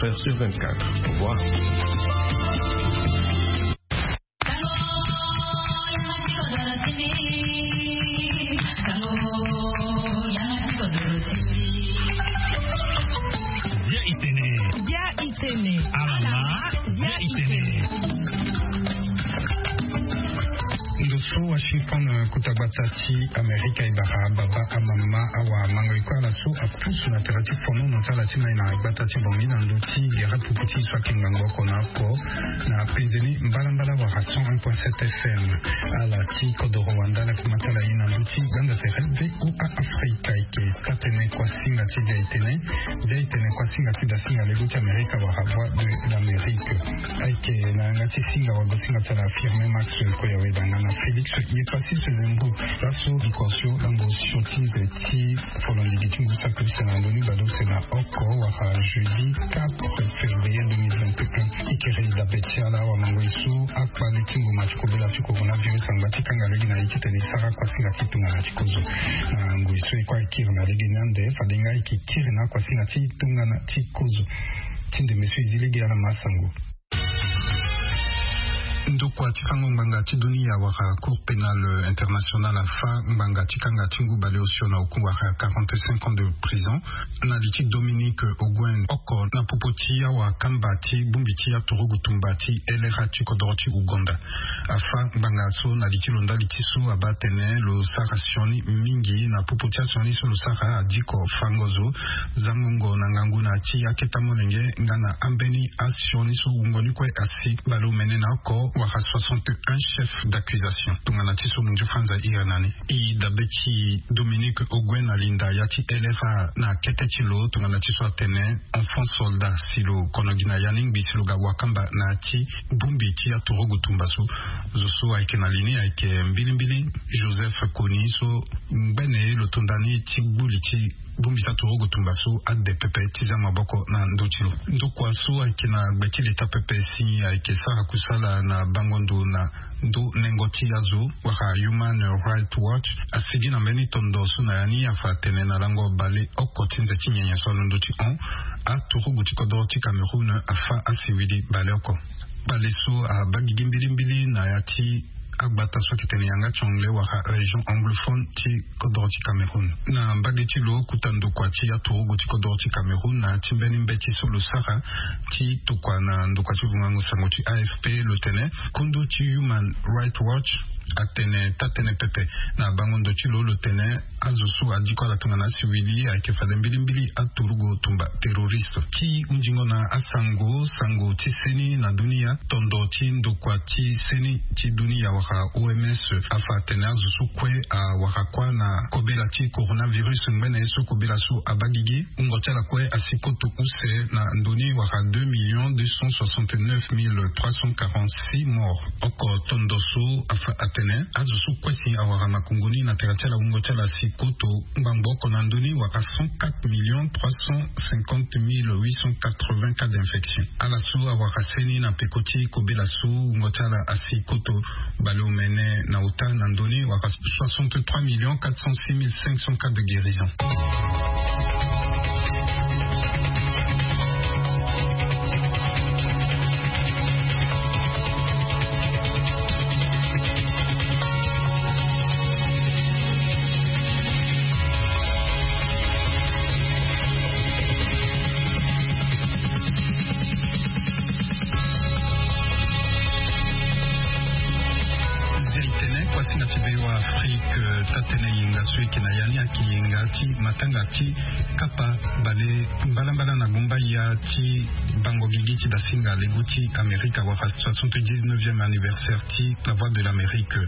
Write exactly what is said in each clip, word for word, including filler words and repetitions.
Sur vingt-quatre. Au revoir. Bia itene. Bia itene. Alama. Bia itene. Ndo so Washington, eh, kota gbata ti Amerika e bara baba, amama, awa, amango, e kue ala so apusu na tere ti fonono ti ala ti mai na gbata ti Bangui na ndö ti gere pupu ti e so ayeke ngangu oko na oko na penze ni mbalambala wala cent un point sept F M. Ala ti kodoro wanda ala yeke ma ti ala ye na ndö ti gbanda tere V O A Afrika. Ayeke taa-tënë kuasinga ti Bia itene. Bia itene kuasinga ti dasinga lego ti Amerika wala Voix de l'Amérique. Ayeke na yanga ti singa wala bosinga ti ala Firmin Max Koyawe, danga na Félix Yepassis Zembo. Laso diko so lango osio ti nze ti folondigi ti ngu saki use na ndoni baleuse na oko wala jeudi quatre février deux mille vingt et un. E kiri dabe ti ala awa mango e so akpale ti ngboma ti kobela ti coronavirus angba ti kanga lege na ye titene e sara kuasinga ti tongana ti kozo. Na ngoi so e kue e kiri na lege ni ande, fade nga e yeke kiri na akuasinga ti tongana ti kozo. Ti ndembe so e zi lege ala ma asango. Ndokua ti fango ngbanga ti dunia wala Cour pénale internationale afa ngbanga ti kanga ti ngu baleosio na oku wala quarante-cinq ans de prison na li ti Dominique Ongwen oko na popo ti awakamba ti bongbi ti aturugu tumba ti L R A ti kodoro ti Ouganda. Afa ngbanga so na li ti lo ndali ti so abaa atene lo sara sioni mingi na popo ti asioni so lo sara adiko fango zo, zangongo na ngangu na ya ti aketa molenge nga na ambeni asioni so wungo ni kue asi baleomene na oko wala soixante et un chefs d'accusation. Tongana ti so mondio Franz ahiri na ni. E dabe ti Dominique Ongwen alinda ya ti L R A na kete ti lo tongana ti so atene enfant soldat si lo kono gi na ya ni ngbi si lo ga wakamba na ya ti bongbi ti aturugu tumba so. Zo so ayeke na li ni ayeke mbilimbili Joseph Kony so ngbene lo tonda ni ti gbu li ti bongbi ti aturugu tumba so ade pepe ti za maboko na ndö ti lo. Ndokua so ayeke na gbe ti leta pepe si ayeke sara kusala na bango ndo na ndo nengo ti azo wala Human Rights Watch asigi na mbeni tondo so na ya ni afa atene na lango baleoko ti nze ti nyenye so alondo ti hon, aturugu ti kodoro ti Cameroun afa asiwili baleoko. Bale so abaa gigi mbilimbili na ya ti agbata so ayeke tene yanga ti anglais wala région anglophone ti kodoro ti Cameroun. Na mbage ti lo, kota ndokua ti aturugu ti kodoro ti Cameroun na ya ti mbeni mbeti so lo sara ti tokua na ndokua ti vungango sango ti A F P lo tene, kondo ti Human Rights Watch atene taa-tënë pepe na bango ndo ti lo, lo tene azo so adiko ala tongana asiwili ayeke fade mbilimbili aturugu tumba terroriste. Ti hunzingo na asango, sango ti seni na dunia, tondo ti ndokua ti seni ti dunia wala O M S afa atene azo so kue awara kuâ na kobela ti coronavirus ngbene ye so kobela so abaa gigi, wungo ti ala kue asi koto use na ndoni wala deux millions deux cent soixante-neuf mille trois cent quarante-six morts. Oko tondo so afa atene azo so kue si awara makongo ni na tere ti ala wungo ti ala asi koto ngbangbo oko na ndoni wala cent quatre millions trois cent cinquante mille huit cent quatre-vingts cas d'infection. Ala so awara seni na peko ti kobela so wungo ti ala asi koto baleomene na ota na ndoni wala soixante-trois millions quatre cent six mille cinq cents cas de guérison. Nzia itene kuasinga ti V O A Afrique, taa-tënë yenga so eke na ya ni ayeke yenga ti matanga ti kapa bale mbalambala na gumba ya ti bango gigi ti dasinga lego ti Amerika wala soixante-dix-neuvième anniversaire ti La Voix de l'Amérique.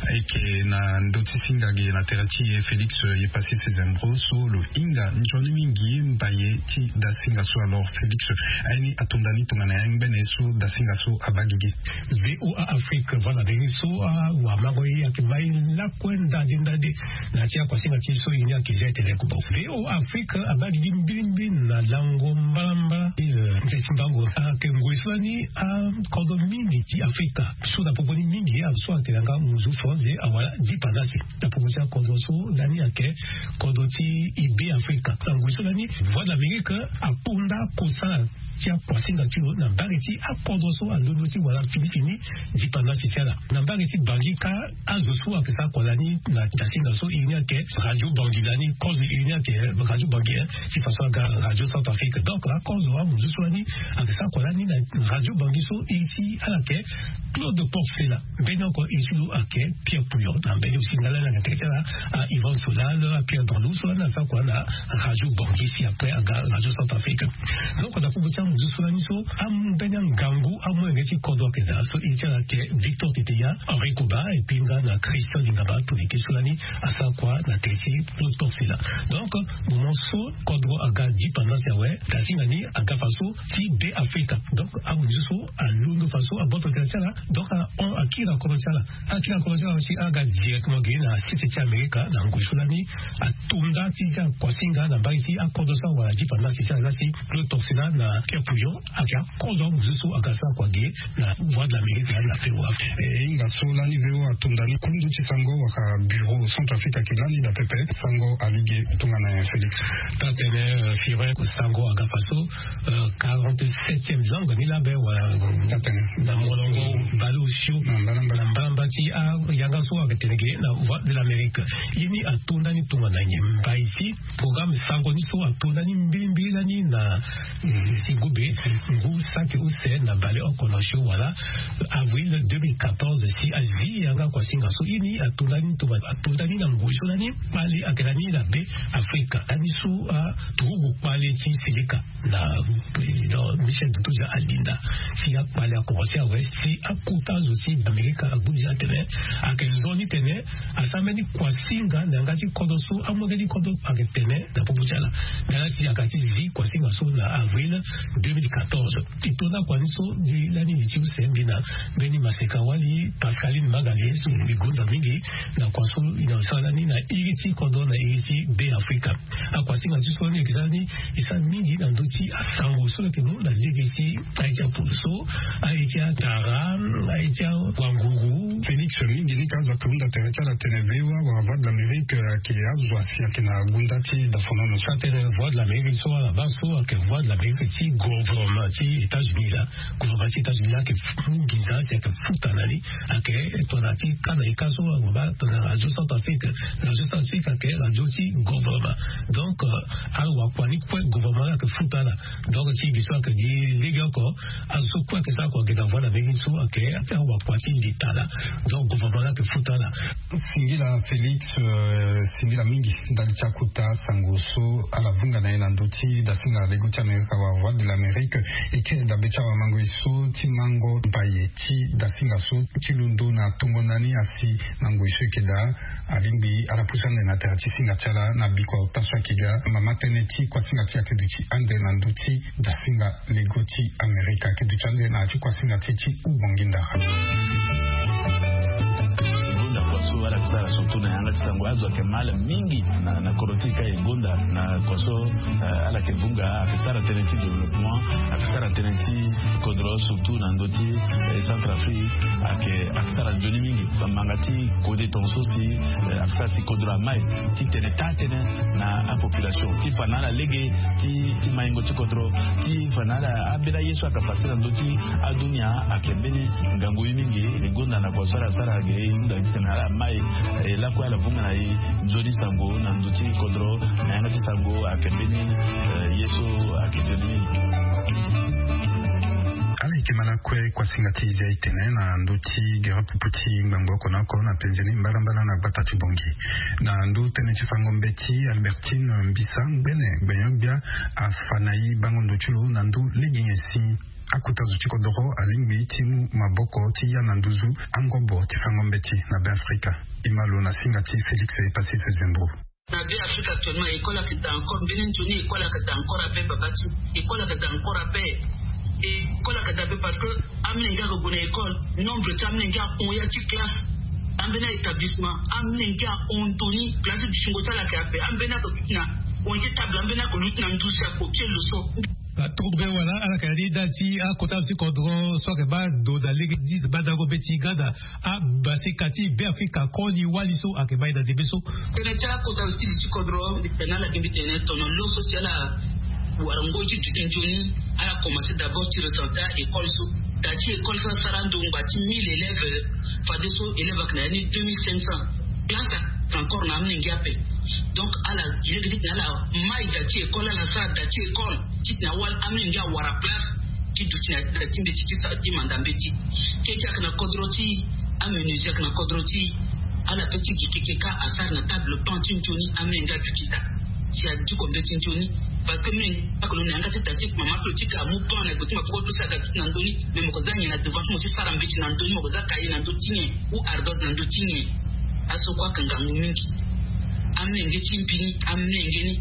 Ayeke na ndö ti singa ge na tere ti e Félix Yepassis Zembo so lo hinga nzoni mingi mbaye ti dasinga so. Alors Félix, aye ni atonda ni tongana ya ngbene so dasinga so abaa gigi. V O A Afrique, voilà, ndenge so awamango ye ayeke mai lakue ndade ndade na ya ti akuasinga ti e so e ni ayeke zia etene kubo. V O A Afrique abaa gigi mbilimbili na lango mbalambala, eh, nze ti mbango ayeke ngoi so lani akodro mingi ti Afrika so na popo ni mingi azo so ayeke na yanga muzu France awara dipanda si na popo ti akodro so lani ayeke kodro ti e be Afrika. Na ngoi so lani Voix de l'Amérique akunda kosala ti akuasinga ti lo na mbage ti akodro so alondo ti wala fini fini. Dipanda si ti ala na mbage ti bangi ka azo so ayeke sara kua lani na dasinga so e ni ayeke radio bangi lani kozo e ni ayeke radio bangi ti façon aga radio centre afrique donc akozo amuzu so lani ayeke sara kua lani na radio bangi so e ti ala yeke claude porcela. Mbeni oko e ti lo ayeke pierre pouillon na mbeni osi nga lani ayeke teke ti ala a ivan solal a pierre danlou so lani asara kua na radio bangi si après aga radio centre afrique. Donc na popo ti amuzu so lani so ambeni angangu amolenge ti kodro ayeke daa so e ti ala ayeke victor teteya, henri koba epui nga na christian lingaba toleke so lani asara kua na tene ti claude porcela. Donc moment so kodro aga dipendance awe, dasinga ni aga faso ti be afrika. Donc amuzu so alondo faso aboto tene ti ala. Donc ahon akiri na kodro ti ala. Akiri na kodro ti ala si aga directement gi na sese ti amerika na ngoi so lani atonda ti zia kuasinga na mbage ti akodro so awara dipendance ti ala ti claude porcela na pierre pouillon. Ayeke akodro amuzu so aga sara kua ge na voie de l'amérique lani na fewa. E hinga so lani veo atonda ni kundu ti sango waka bureau centre afrique ayeke lani daa pepe sango alege. Tongana félix. Taa tene firin sango aga faso. Quarante-septième langue ni labe wala taa tene na molongo baleosio na mbalamba na mbalamba ti ayanga so ayeke tene ge na voie de l'amérique. Ye ni atonda ni tongana nyen mbai ti programme sango ni so atonda ni mbilimbili lani na si gobe ngu saki use na baleoko na osio wala avril deux mille quatorze si azi yanga kuasinga so ye ni atonda ni tongana atonda ni na ngoi so lani kpale ayeke lani na be afrika lani so aturugu kpale ti seleka na président michel dutoja alinda. Si akpale akomanse awe si akota azo si amerika agbu ni atene ayeke nzoni tene asara mbeni kuasinga na yanga ti kodro so amolenge ti kodro ayeke tene na popo ti ala. Nga lani si ayeke ti zi kuasinga so na avril deux mille quatorze. E tonda kua ni so gi lani li ti use mbi na mbeni maseka wali pascaline magalie so mbi gonda mingi na kua so e na sara lani na iri ti kodro na iri ti be afrika. Akuasinga ti so ni eke sara ni e sara mingi na ndö ti asango so lo yeke mu na lege ti aye ti apolo so aye ti atara aye ti awanguru. Félix mingi ni ka azo ayeke hunda tere ti ala tene voa wala voie de l'amérique ayeke azo asi ayeke na gunda ti dafonono so atene voie de l'amérique so ala baa so ayeke voie de l'amérique ti gouvernement ti états-unis la. Gouvernement ti états-unis la ayeke mu nginza si ayeke futa na ni. Ayeke tongana ti ka na e ka so ague baa tongana radio centre afrique. Radio centre afrique ayeke radio ti gouvernement. Donc awakua ni kue gouvernement la ayeke futa ala. Donc ti gi so ayeke gi lege oko azo so kue ayeke sara kua gi na voie na mbeni so ayeke awakua ti leta la. Donc gouvernement la ayeke futa ala. Singila félix. Singila mingi ndali ti akota sango so ala vunga na ye na ndö ti dasinga lego ti amerika wala voie de l'amérique. E kiri dabe ti awamango e so ti mango mbaye ti dasinga so ti londo na tongo na ni asi na ngoi so e yeke daa. Alingbi ala pusa ande na tere ti singa ti ala na bikua ota so ayeke ga mama tënë ti kuasinga ti ayeke duti ande na ndö ti dasinga lego ti amerika ayeke duti ande na ya ti kuasinga ti ti ubangi ndara. Gonda kua so ala yeke sara surtout na yanga ti sango azo ayeke mal mingi na kodro ti e ka e gonda na kua so ala yeke vunga ayeke sara tënë ti développement ayeke sara tënë ti kodro surtout na ndö ti centre afrique ayeke sara nzoni mingi. Bamanga ti kode tonga so si ayeke sara si kodro amai ti tene taa tënë na apopulation ti fa na ala lege ti maingo ti kodro ti fa na ala ambeni aye so ayeke fase na ndö ti adunia ayeke mbeni ngangu ye mingi. E gonda na kua so ala sara ge e hunda titene ala mai e lakue ala vunga na e nzoni sango na ndö ti kodro na yanga ti sango ayeke mbeni ye so ayeke nzoni mingi. Ala yeke ma lakue kuasinga ti zia e tene na ndö ti gere pupu ti ngbangbo oko na oko na penze ni mbalambala na gbata ti bongi. Na ndö tënë ti fango mbeti albertine mbisa ngbene gbenyo-gbia afa na e bango ndo ti lo na ndö lege nyen si akota zo ti kodoro alingbi ti mu maboko ti ya na nduzu angobo ti fango mbeti na be afrika. E ma lo na singa ti félix epassis zembro. Na be afrika actuellement école ayeke daa encore mbeni nzoni école ayeke daa encore abe baba ti école ayeke daa encore abe. École ayeke daa be parce que amolenge ayeke gue na école nombre ti amolenge ahon ya ti classe. Ambeni a-établissement amolenge ahon ndo ni place ti dutingo ti ala ayeke ape ambeni ayeke luti na hon ye ti table ambeni ayeke luti na nduzu si akopie lo so. Aturbe wala ala yeke na ni da ti akota ti kodro so ayeke baa ndo na lege ti badango be ti gada abasika ti be afrika koli wali so ayeke baa e na ndembe so. Tënë ti akota ti li ti kodro mbi tene ala gi mbi tene tono lo so si ala Wara ngoi ti duti nzoni. Ala commencé d'abord ti recensé a école so. Da ti école so asara ndongba ti mille élèves. Fadeso élèves ayeke na ya ni deux mille cinq cents. Place ayeke encore na amolenge ape. Donc ala gi lege titene ala mai da ti école, ala sara da ti école titene awali amolenge awara place ti duti na da ti mbeti ti sa ti manda mbeti. Keke ayeke na kodro ti amenuisier, ayeke na kodro ti ala pe ti gi keke ka asara na table pan ti nzoni. Amolenge aduti daa si adiko mbeti nzoni. Parce que mine ake lo na yanga ti da ti mama plo ti ka amu pan na gbe ti mapoko ti lo si aga duti na ndoni. Mais moko za nyen na devant ti mo ti sara mbeti na ndoni? Moko za kaye na ndö ti nyen ou ardoise na ndö ti nyen? Aso kue ayeke ngangu mingi. Amenge ti mbi ni, amenge ni.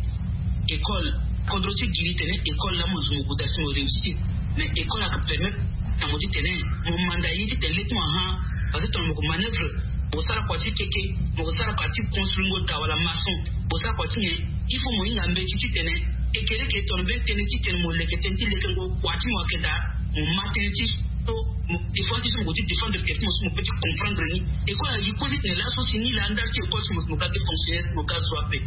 École, kodro ti giri tene école la mo zo mo guda si mo réussir. Mais école ayeke permettre na mo titene mo manda ye titene le ti mo ahan. Parce que tongana mo ko manœuvre, mo sara kua ti keke, mo ko sara kua ti construire ngo da wala maçon, mo sara kua ti nyen? Il faut mo hinga mbeti titene ekeleke tongana mbeni tënë titene mo leke tënë ti leke ngo kua ti mo ayeke daa. Mo ma tënë ti so mo défendre ti so mo ko ti défendre tene ti mo so mo pe ti comprendre ni. École agi kue titene laso si ni laa ndali ti école si mo ga be fonctionnaire si mo ga zo ape.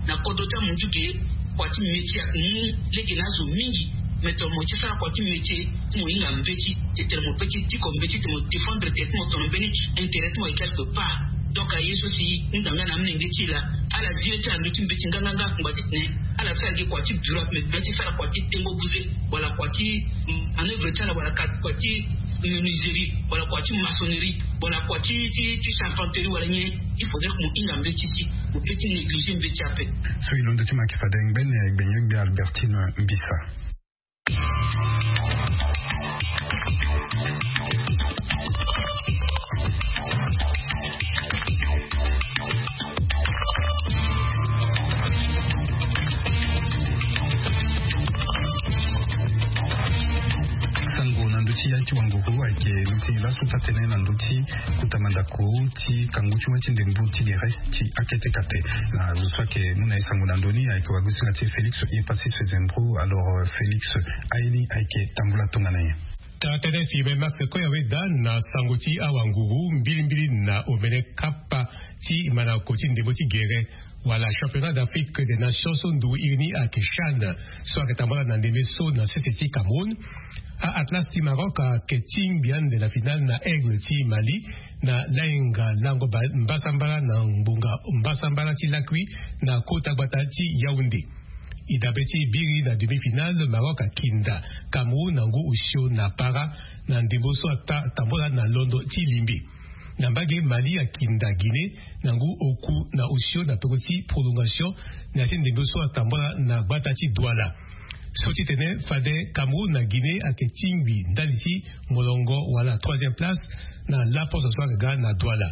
Na kodro ti amunzu ge, kua ti métier ayeke mu lege na azo mingi. Mais tongana mo ti sara kua ti métier ti mo hinga mbeti titene mo pe ti diko mbeti titene mo défendre tene ti mo tongana mbeni intérêt ti mo ayeke quelque part. Donc aye so si hunda nga na amolenge ti e laa, ala zi ye ti ala ndö ti mbeti nganganga akungba titene ala sara gi kua ti bureau ape, mais ti sara kua ti tengo buze wala kua ti manœuvre ti ala wala ka kua ti menuiserie wala kua ti maçonnerie wala kua ti ti ti charpenterie wala nyen. Il faudrait que mo hinga mbeti si mo pe ti négliger mbeti ape. So e londo ti ma yeke fade ngbene gbenyo gbe Albertine Mbisa. Sango na ndö ti ya ti wanguru ayeke luti laso taa-tënë na ndö ti kota mandako ti kangu ti wâ ti ndembo ti gere ti akete kate. Na zo so ayeke mu na ye sango na ndö ni ayeke wagosinga ti Félix Epassis Fezembro. Alors Félix, aye ni ayeke tambula tongana nyen? Taa-tënë Firmin Max Koyaweda na sango ti awanguru mbilimbili na omene kapa ti mandako ti ndembo ti gere wala Championnat d'Afrique des Nations so ndo iri ni ayeke CHAN, so ayeke tambula na ndembe so na sese ti Cameroun. A-Atlas ti Maroc ayeke tingbi ande na finale na Aigle ti Mali na lainga lango ba-, mbasambala na ngbonga mbasambala ti lakui na kota gbata ti Yaoundé. E dabe ti biri na demi-finale, Maroc akinda Cameroun na ngu osio na para na ndembo so ata tambula na londo ti limbe. Na mbage, Mali akinda Guinée na ngu oku na osio na peko ti prolongation na ya ti ndembo so atambula na gbata ti Douala. So ti tene fade Cameroun na Guinée ayeke tingbi ndali ti molongo wala troisième place na laposo so ayeke ga na Douala.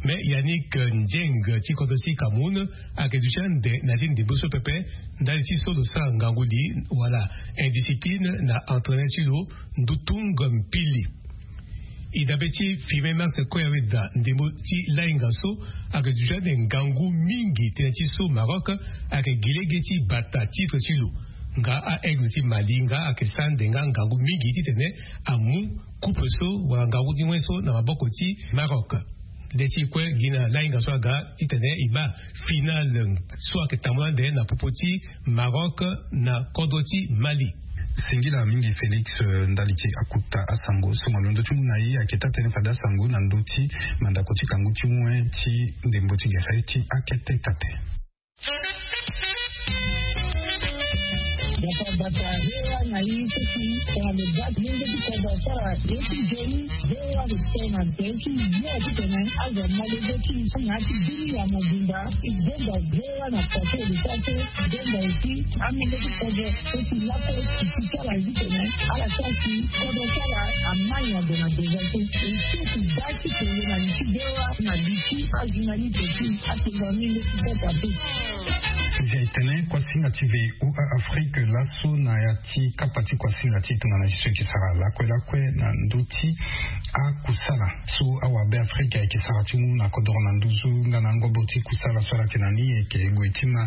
Mais Yannick Ndieng ti kodro ti Cameroun ayeke duti ande na ya ti ndembo so pepe ndali ti so lo sara ngangu li wala indiscipline na entraîneur ti lo Ndutung Mpili. E dabe ti Firmin Max Koyaweda, ndembo ti lainga so ayeke duti ande ngangu mingi tënë ti so Maroc ayeke gi lege ti bata titre ti lo. Nga a-Aigle ti Mali nga ayeke sara ande nga ngangu mingi titene amu coupe so wala ngangu ti ngoi so na maboko ti Maroc. Nde si kue gi na lainga so aga titene e baa finale so ayeke tambula ande na popo ti Maroc na kodro ti Mali. Singila mingi Félix, eh, ndali ti akota asango so mo londo ti mu na e ayeke taa-tënë fade asango na ndö ti mandako ti kangu ti wen ti ndembo ti gere ti akete kate. Bata bata, V O A na i siki tongana lo baa ti lenge ti kodro asara ye ti nzoni. V O A lo tene na nze ti yo titene azo amalege ti na ya ti biri ya mobimba. E gonda V O A na kua so e lo sara so. E gonda aussi amolenge ti kodro so ti laso ti sara ye titene ala sara si kodro ti ala amai na gue na gue so. E so ti baa ti kele na li ti V O A na li ti ajournaliste ti atonga mingi ti kota so. Nzia e tene kuasinga ti V O A Afrique laso na ya ti kapa ti kuasinga ti e tongana ti so e yeke sara lakue lakue na ndö ti akusala so awabe Afrique ayeke sara ti mu na kodoro na nduzu nga na ngobo ti kusala so ala yeke na ni e yeke gue ti ma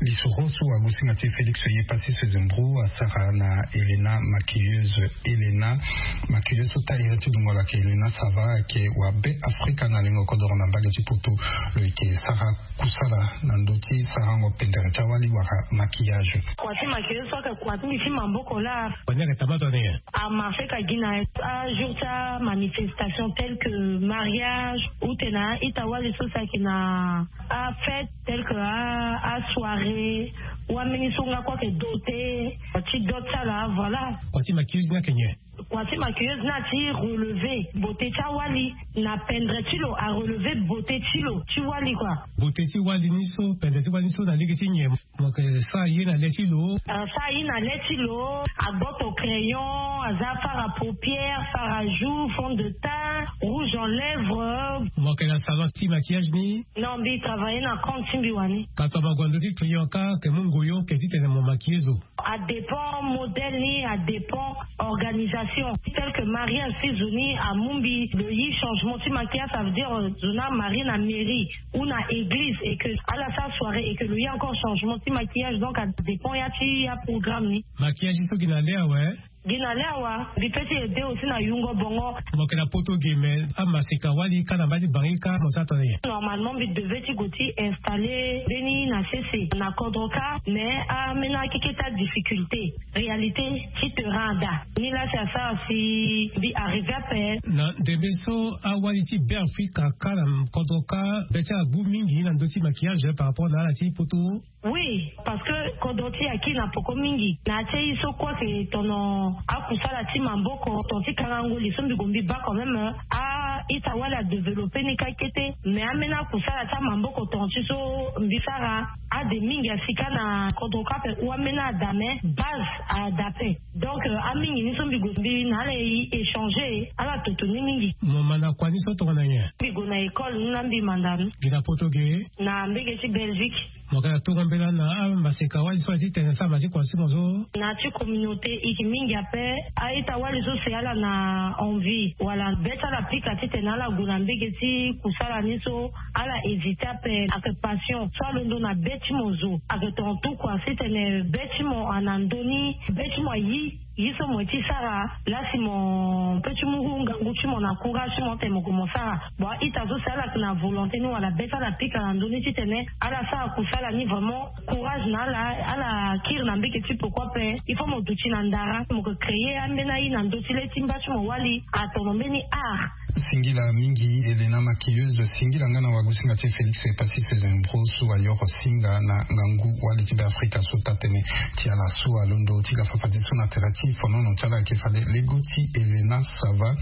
Lisoro so wagosinga ti Félix ye pasi sezembro asara na Elena Maquilleuse. Elena Maquilleuse so ta ira ti dungo lake Elena Sava ayeke wa be Afrika na lingo kodoro na mbage ti poto. Lo yeke sara kusala na ndö ti sarango pendere ti awali wala maquillage. Kua ti maquilleuse so ayeke kua ti mbi ti maboko laa. Wani ayeke tamata ni. Amarché ka gi na ajour ti amanifestation tel que mariage ou tena ita wali so si ayeke na afête tel que asoirée. Wameni so nga kue ayeke doté ti dot ti ala voilà. Kua ti maquilleuse ni ayeke nyen? Kua ti maquilleuse ni ati relevé bote ti awali na pendre ti lo arelevé bote ti lo ti wali kua. Bote ti wali ni so pendre ti wali ni so na lege ti nyen? Mo yeke sara ye na le ti lo. Asara ye na le ti lo. Agboto crayon, aza fard à paupières, fard à joues, fond de teint, rouge en lèvres. Mo yeke na salon ti maquillage ni. Non mbi travailler na compte ti mbi wani. Ka to mague na ndö ti client ka ke mu ngoyo ke titene mo maquiller zo. Adépend modèle ni, adépend organisation. Tel que mariage si zo ni amu mbi lo yi changement ti maquillage, ça veut dire zo ni amarié na mairie ou na église et que ala sara soirée et que lo yi encore changement ti maquillage, donc adépend ya ti aprogramme ni. Maquillage so gi na le awe. Gi na le awa. Mbi pe ti aidé aussi na yungo bongo. Mo yeke na poto ge mais amaseka wali ka na mba ti bangi ka mo sara tongana nyen? Normalement mbi devait ti go ti installer mbeni na sese na kodro ka. Mais amena akeke ti adifficulté réalité ti terrain ada ni la si asara si mbi arrivé ape. Na ndembe so awali ti be Afrika ka na kodro ka be ti ala gbu mingi na ndö ti maquillage par rapport na ala ti poto. Oui, parce que kodro ti aki na poko mingi na ya ti aye so kue ayeke tono akusala ti maboko ton ti kangango li so mbi gue mbi baa quand même. A-ita wali adéveloppé ni ka kete mais ambeni akusala ti amaboko ton ti so mbi sara ade mingi asi ka na kodro ka ape ou ambeni ada mais base ada ape. Donc amingi ni so mbi gue mbi na ala e échanger ala toto ni mingi. Mo ma na kua ni so tongana nyen? Mbi gue na école ni la mbi manda ni. Gi na poto ge? Na mbege ti Belgique. Mo yeke na tongo mbela na amaseka wali so aye titene asara ma ti kua ti mo so? Na ti communauté e yeke mingi ape. A-ita wali so si ala na envie wala be ti ala pika titene ala gue na mbege ti kusala ni so ala hésité ape. Ayeke passion so alondo na be ti mo zo ayeke tonga tout kua titene be ti mo ana ndö ni be ti mo ayi. Ye so mo ye ti sara la si mo pe ti mu ngangu ti mo na courage ti mo tene mo gue mo sara. Bon a-ita so si ala yeke na volonté ni wala be ti ala pika na ndö ni titene ala sara kusala ni vraiment courage na ala. Ala kiri na mbeke ti poko ape. Il faut mo duti na ndara mo yeke créer ambeni aye na ndö ti le ti mba ti mo wali atono mbeni art. Singila mingi Elena maquilleuse. Singila nga na wagosinga ti Félix Epassi Sezembro so ayoro singa na ngangu wali ti be Afrika so taa-tënë ti ala so alondo ti ga fafadeso na tere ti fonono ti ala ayeke fade lego ti Elena Sava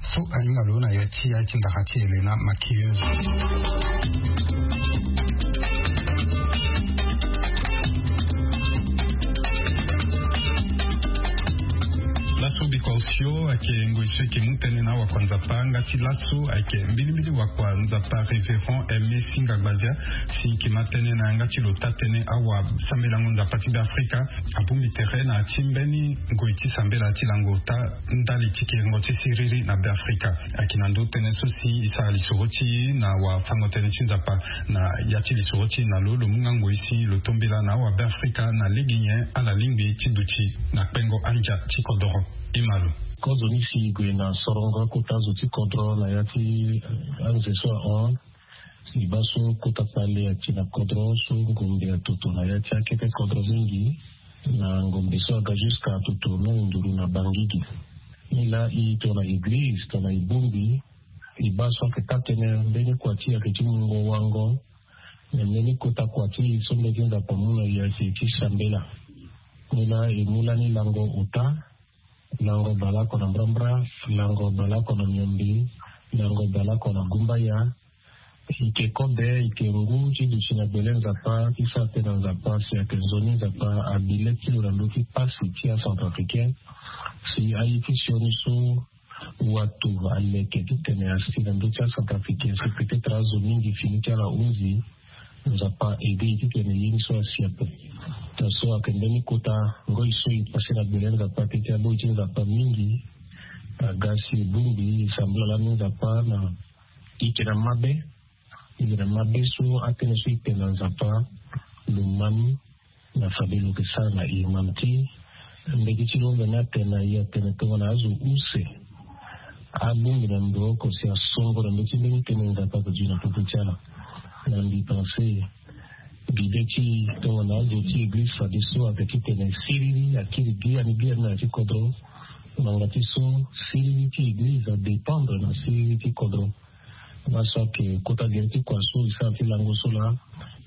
so ahinga lo na ya ti ya ti ndara ti Elena maquilleuse. Laso biko osio ayeke ngoi so eke mu tënë na wakua nzapa nga ti laso ayeke mbilimbili wakua nzapa révérend Aimé Singa Gbazia. Si eke ma tënë na yanga ti lo taa-tënë awa sambelango nzapa ti be Afrika abongbi tere na ya ti mbeni ngoi ti sambela ti lango ota ndali ti kiringo ti siriri na be Afrika. Ayeke na ndö tënë so si e sara lisoro ti e na wafango tënë ti nzapa na ya ti lisoro ti e na lo lo mu nga ngoi si lo tombela na awa be Afrika na lege nyen ala lingbi ti duti na kpengo andia ti kodoro. E ma lo. Kozo ni si e gue na sorongo akota zo ti kodro na ya ti anze so ahon. E baa so kota kpale ati na kodro so ngombe atoto na ya ti akete kodro mingi. Na ngombe so aga jusqu'à atoto même nduru na bangigi. Ni laa e tongana eglize tongana e bongbi e baa so ayeke taa-tënë mbeni kua ti e ayeke ti mungo wango. Na mbeni kota kua ti e so mbeti nzapa amu na e ayeke ti sambela. Ni laa e mu lani lango ota. Lango baleoko na mbrambra. Lango baleoko na miombe. Lango baleoko na gumbaya. E yeke kobe e yeke ngu ti duti na gbele nzapa ti sara tënë na nzapa si ayeke nzoni nzapa abi le ti lo na ndö ti pasi ti acentrafricain. Si aye ti sioni so watu aleke titene asi na ndö ti acentrafricain si peut-être azo mingi fini ti ala hunzi. Nzapa aidé e titene ye ni so asi ape. Tongaso ayeke mbeni kota ngoi so e pase na gbele nzapa teti aboi ti nzapa mingi. Aga si e bongbi e sambela lani nzapa na e yeke na mabe. E yeke na mabe so atënë so e tene na nzapa. Lo ma ni na fade lo yeke sara na e. Mama ti mbeti ti lo mbe ni atene na e atene tongana azo use abongbi na ndo oko si asongo na mbeti mbeni tënë Nzapa azo gi na popo ti ala. Na mbi pense bibe ti tongana azo ti eglize fadeso ayeke titene siriri akiri biani biani na ya ti kodro. Ngbanga ti so siriri ti eglize adépendre na siriri ti kodro. Laso ayeke kota gere ti kua so e sara ti lango so laa.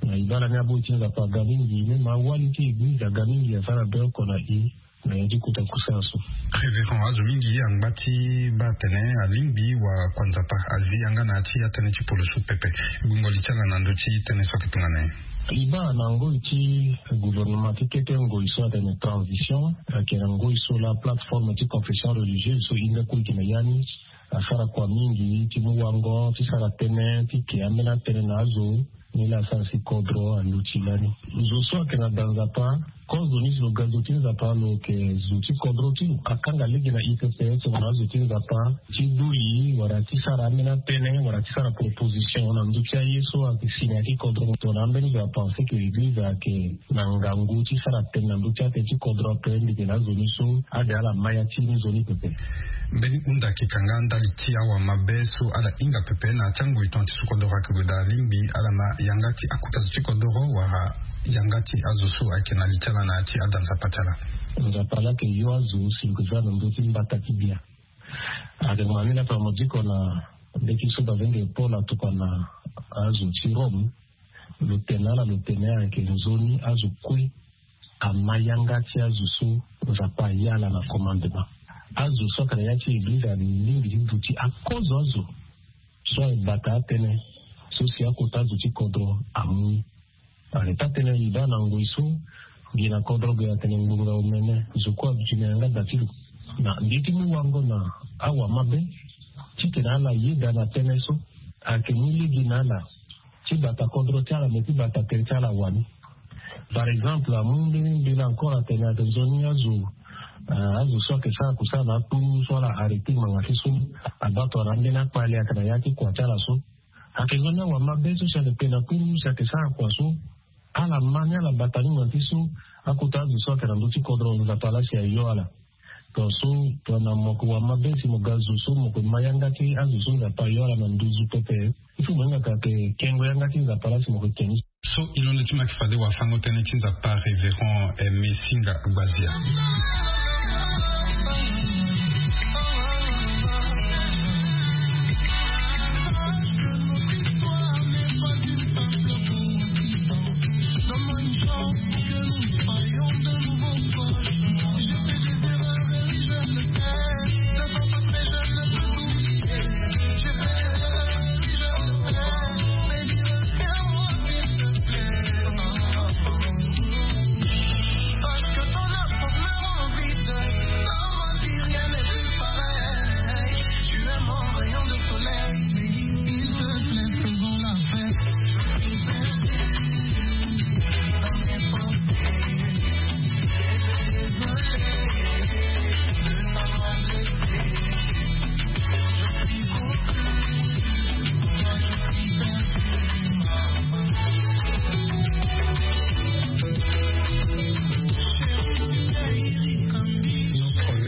Na e baa lani aboi ti Nzapa aga mingi, même awali ti eglize aga mingi, asara be oko na e na ya ti kota kusala so. Révérend, azo mingi angba ti baa atene alingbi wakua Nzapa azi yanga na ya ti atënë ti polosu pepe. Gbungo li ti ala na ndö ti tënë so ayeke tongana nyen? E baa na ngoi ti gouvernement ti kete ngoi so atene transition, ayeke na ngoi so laa plateforme ti confession religieuse so e hunda kue gi na ya ni asara kua mingi ti mu wango ti sara tënë ti ke ambeni atënë na azo. Ni laa asara si kodro aluti lani. Zo so ayeke na da Nzapa, kozo ni si lo ga zo ti Nzapa lo yeke zo ti kodro ti lo. Akanga lege na e pepe tongana azo ti Nzapa ti dui wala ti sara ambeni atënë wala ti sara proposition na ndö ti aye so ayeke si na ya ti kodro. Tongana ambeni zo apense ke eglize ayeke na ngangu ti sara tënë na ndö ti atënë ti kodro ape, mbi yeke na azo ni so ade ala ma ya ti ni zo ni pepe. Mbeni hunda ayeke kanga ndali ti awamabe so ala hinga pepe na ya ti angoi tonga ti so kodoro ayeke gue daa, alingbi ala ma yanga ti akota zo ti kodoro wala yanga ti azo so ayeke na li ti ala na ya ti ada Nzapa ti ala. Nzapa laa ayeke yo azo si lo yeke za na ndö ti mbata ti bia. Ayeke ma ni laa tongana mo diko na mbeti so bavenge Paul atokua na azo ti Rome. Lo tene na ala, lo tene ayeke nzoni azo kue ama yanga ti azo so Nzapa aya ala na commandement. Azo so ayeke na ya ti eglize alingbi ti duti akozo azo so aye bata atënë so si akota azo ti kodro amu ni. Ane taa tënë e baa na ngoi so gi na kodro ge atene ngbongbongo omene zo kue aduti na yanga da ti lo. Na mbi ti mu wango na awamabe titene ala yeda na tënë so ayeke mu lege na ala ti bata kodro ti ala me ti bata tere ti ala wani. Par exemple amu mbeni mbela encore atene ayeke nzoni azo azo so ayeke sara kusala na akpuru so ala arrêté ngbanga ti so abaa tongana ambeni akpale ayeke na ya ti kua ti ala so. Ayeke nzoni awamabe so si ayeke pe na akpuru si ayeke sara kua so ala ma ni ala bata ni ngbanga ti so akota azo so ayeke na ndö ti kodro Nzapa laa si ayo ala. Tongaso tongana mo yeke wamabe si mo ga zo so mo yeke ma yanga ti azo so Nzapa ayo ala na nduzu pepe. Il faut mo hinga ka yeke kengo yanga ti Nzapa laa si mo yeke ke ni. So e londo ti mo ayeke fade wafango tënë ti Nzapa, Révérend Aimé Singa Gbazia.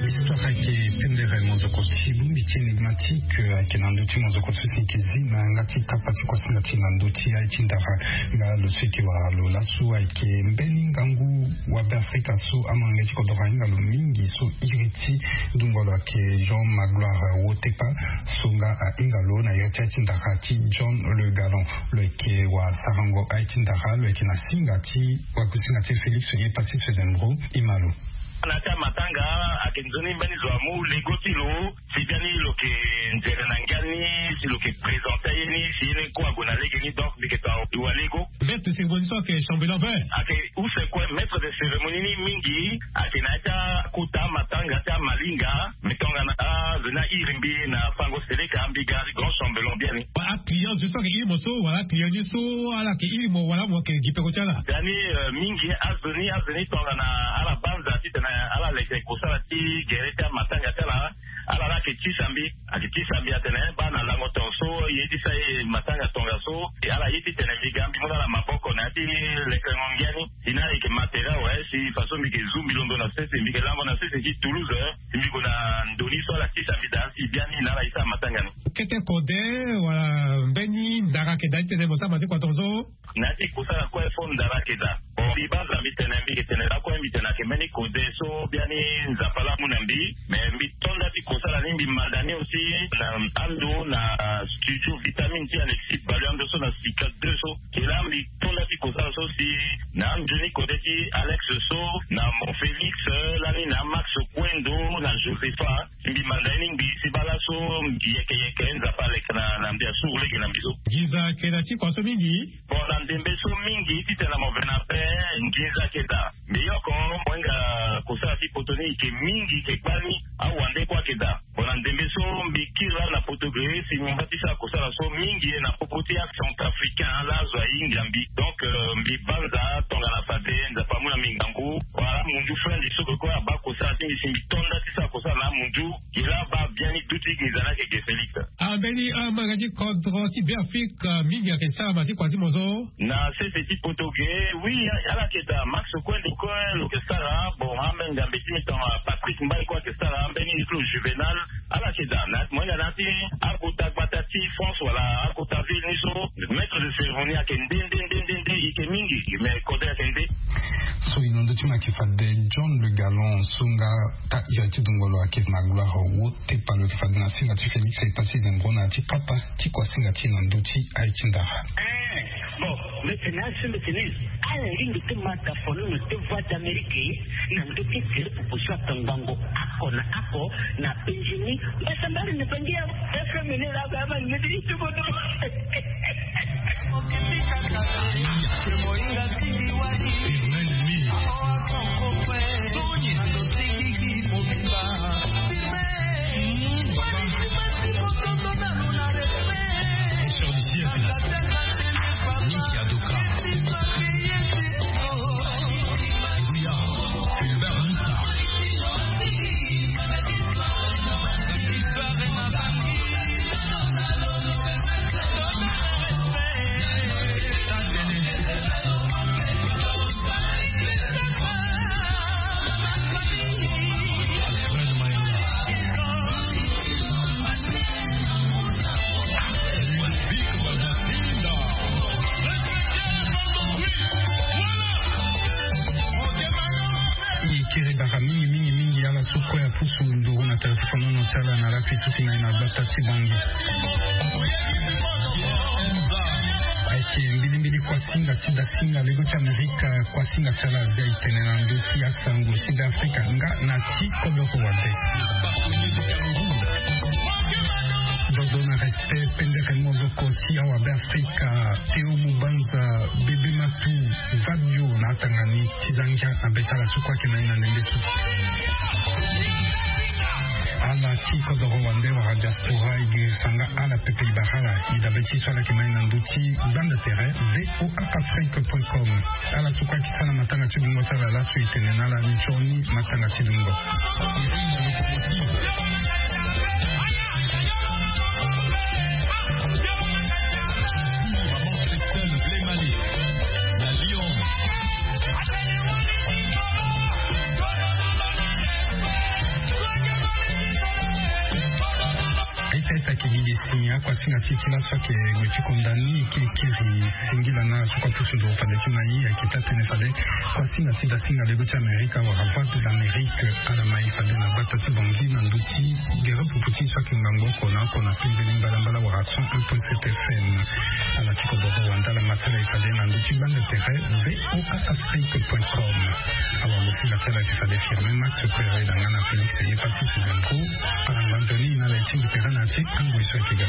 Histoire ayeke pendere monzoko ti bongbi ti énigmatique ayeke na ndö ti monzoko so si yeke zi na yanga ti kapa ti kuasinga ti na ndö ti aye ti ndara. Nga lo so yeke wara lo laso ayeke mbeni ngangu wa Beafrika so amolenge ti kodoro ahinga lo mingi so iri ti ndungo lo ayeke Jean Magloire Wotepa. So nga ahinga lo na yo ti aye ti ndara ti John Le Galant. Lo yeke wasarango aye ti ndara, lo yeke na singa ti wakusinga ti Félix Epassis Fezembro. E ma lo. Na ya ti amatanga ayeke nzoni mbeni zo amu lego ti lo si biani lo yeke nzere na ngia ni si lo yeke présenter aye ni si ye ni kue ague na lege ni. Donc mbi yeke to awa lego. Vert, c'est une position que chambellan vert. Ayeke use kue maître de cérémonie ni mingi ayeke na ya ti akota amatanga ti amalinga. Mais tongana azo ni airi mbi na fango seleka mbi ga grand chambellan biani. Aclient zo so ayeke iri mo so wala aclient ni so ala yeke iri mo wala mo yeke gi peko ti ala. Biani mingi azo ni azo ni tongana ala banza titene ala leke kosala ti gere ti amatanga ti ala. Ala la ayeke tisa mbi ayeke tisa mbi atene baa na lango tongaso ye ti sa ye matanga tongaso. Ala ye titene mbi ga mbi mu na ala maboko na Ati lekengo ngia ni. Si na eke matériel awe, si façon mbi ke zu mbi londo na sese, mbi ke lango na sese ti Toulouse, eh. Si mbi gue na ndo ni so ala tisa mbi daa si biani na ala esa matanga ni. Kete kode wala mbeni ndara ke daa ti tene mo sama ti kua tongaso? Na ti kosala kue fo ndara ke daa. Bon, mbi banza mbi tene, mbi ke tene lakue mbi tene ake mbeni kode so biani Nzapa laa amu na mbi. Mais mbi to nda ti kosala ni, mbi manda ni aussi na ando na studio Vitamine ti Alexis Balu, ando so na Sika deux so. Ke laa mbi to nda ti kosala so si na anzoni kode ti Alex so, na Mon Félix, eh, lani na Max Kwendo, na Josepha. Mbi manda ye ni ngbii si baa laso mbi yeke yeke Nzapa aleke na, na mbi asuru lege na mbi so. Nginza ake na ti kua so mingi. Bon, na ndembe so mingi titene na mo ve na pe nginza ake daa. Mbi yoko mo hinga kosala ti poto ni ike mingi ike gbani awande kue ake daa. Bon, na ndembe so mbi kiri laa na poto ge si mbi mba ti sara kosala so mingi na popo ti acentrafricain laa azo ahinga mbi. Donc, euh, mbi banza tongana fade Nzapa amu na mbi ngangu. Wala amunzu frendi so ke kue abaa kosala ti mbi si mbi to nda ti sara kosala na amunzu. Gi laa abaa biani duti nginza ni ake ge Félix. Ah, mbeni, ah, amanga ti kodro ti Beafrika mingi ake sara ma ti kua ti mo so. Na sese ti poto ge, oui, ala ke daa Max Kwendo kue lo ke sara, bon, ambe ngambe ti mbi tongana Patrick Mbaye kue ake sara, mbeni Niclot Juvenal, ala ke daa. Na, mo hinga na ya ti akota gbata ti France wala akota ville ni so, maître de cérémonie ake nde, nde, nde, nde, nde, ike mingi, mais kode ake nde. So e na ndö ti mo ake fade John Le Gallon so nga ta ira ti dongolo ake na gloire wo. Tepa lo yeke fade na singa ti Félix e pasi dengo na ya ti papa ti kua singa ti na ndö ti aye ti ndara. Eh, bon, mbi tene asi mbi tene ala ringi ti mata fololo ti Voix d'Amérique na ndö ti tele popo so atongbango ako na ako na penzi ni. Mbasambari ni penzi ya F M ni la ba ba ni ti tubo tubo. E kiri bara mingi mingi mingi ala so kue apusu nduru na telefone ti ala na lafi so ti na ye na gbata ti Bangui. Ayeke mbilimbili kua singa ti dasinga lego ti Amerika, kua singa ti ala azia e tene na ndö ti asango ti Beafrika nga na ti kodoro wande. Dodo na respect pendere mozoko ti awa Beafrika, Théo Mubanza, Bébé Matou, Fabio na atanga ni ti za ngia na be ti ala so kue ayeke na ye na ndembe so. Ala ti kodoro wande wala diaspora e girisa nga ala pepe e bara ala e dabe ti so ala yeke na ye na ndö ti gbanda tere V O A Afrique point com. Ala so kue ayeke sara matanga ti lungo ti ala laso e tene na ala nzoni matanga ti lungo. Aita aita ke gi gi si akuasinga ti e ti laso ayeke gue ti konda ni, e ke kiri singila na ala so kue apusu nduru fade ti na e, ayeke taa tënë fade kuasinga ti dasinga lego ti Amerika wala Voix de l'Amérique ala ma e fade na gbata ti Bangui na ndö ti gere pupu ti e so ayeke ngangu oko na oko na penzeni mbalambala wala cent un point sept F M. Ala ti kodoro wande ala ma ti ala e fade na ndö ti gbanda tere V O A Afrique point com. Awa mo singa ti ala ayeke fade Firmin Max Ferreira nga na Félix Eyepassi Suzanne Pro. Ala ngba nzoni na ala e tingbi tere na ya ti angoi so ayeke ga.